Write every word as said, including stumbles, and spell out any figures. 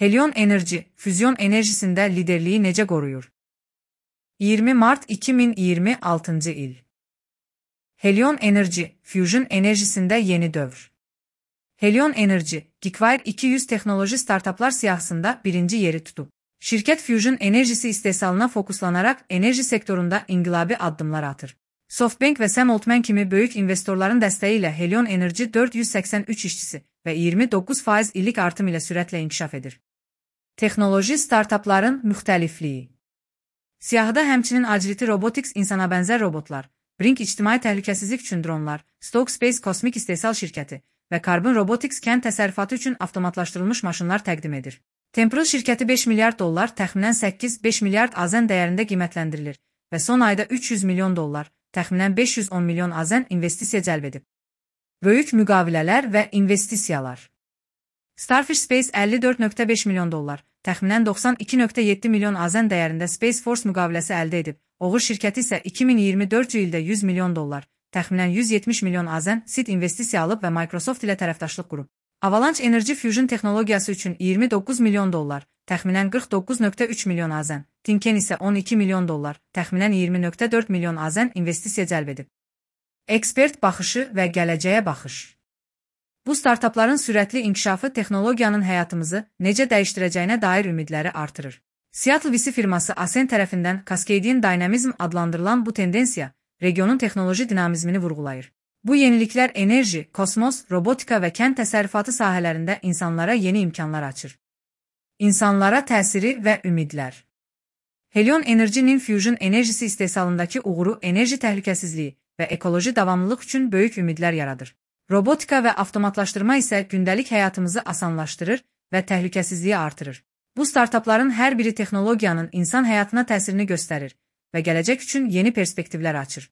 Helion Enerji, füzyon enerjisində liderliyi necə qoruyur? iyirmi mart iki min iyirmi altıncı il. Helion Enerji, fusion enerjisində yeni dövr. Helion Enerji, Geekwire iki yüz texnoloji startaplar siyahısında birinci yeri tutub. Şirkət fusion enerjisi istehsalına fokuslanaraq enerji sektorunda inqilabi addımlar atır. SoftBank və Sam Altman kimi böyük investorların dəstəyi ilə Helion Enerji dörd yüz səksən üç işçisi və iyirmi doqquz faiz illik artım ilə sürətlə inkişaf edir. Texnoloji startapların müxtəlifliyi. Siyahıda həmçinin Agility Robotics insana bənzər robotlar, Brink ictimai təhlükəsizlik üçün dronlar, Stoke Space kosmik istehsal şirkəti və Carbon Robotics kənd təsərrüfatı üçün avtomatlaşdırılmış maşınlar təqdim edir. Temporal şirkəti beş milyard dollar, təxminən səkkiz beş milyard AZN dəyərində qiymətləndirilir və son ayda üç yüz milyon dollar, təxminən beş yüz on milyon AZN investisiya cəlb edib. Böyük müqavilələr və investisiyalar. Starfish Space əlli dörd nöqtə beş milyon dollar, təxminən doxsan iki nöqtə yeddi milyon AZN dəyərində Space Force müqaviləsi əldə edib. Oğur şirkəti isə iki min iyirmi dördüncü ildə yüz milyon dollar, təxminən yüz yetmiş milyon AZN seed investisiya alıb və Microsoft ilə tərəfdaşlıq qurub. Avalanche Energy Fusion texnologiyası üçün iyirmi doqquz milyon dollar, təxminən qırx doqquz nöqtə üç milyon AZN, Tinken isə on iki milyon dollar, təxminən iyirmi nöqtə dörd milyon AZN investisiya cəlb edib. Ekspert baxışı və gələcəyə baxış. Bu startapların sürətli inkişafı texnologiyanın həyatımızı necə dəyişdirəcəyinə dair ümidləri artırır. Seattle V C firması Ascend tərəfindən Cascadian Dynamism adlandırılan bu tendensiya regionun texnoloji dinamizmini vurğulayır. Bu yeniliklər enerji, kosmos, robotika və kənd təsərrüfatı sahələrində insanlara yeni imkanlar açır. İnsanlara təsiri və ümidlər. Helion Enerji-nin fusion enerjisi istehsalındakı uğuru enerji təhlükəsizliyi və ekoloji davamlılıq üçün böyük ümidlər yaradır. Robotika və avtomatlaşdırma isə gündəlik həyatımızı asanlaşdırır və təhlükəsizliyi artırır. Bu startapların hər biri texnologiyanın insan həyatına təsirini göstərir və gələcək üçün yeni perspektivlər açır.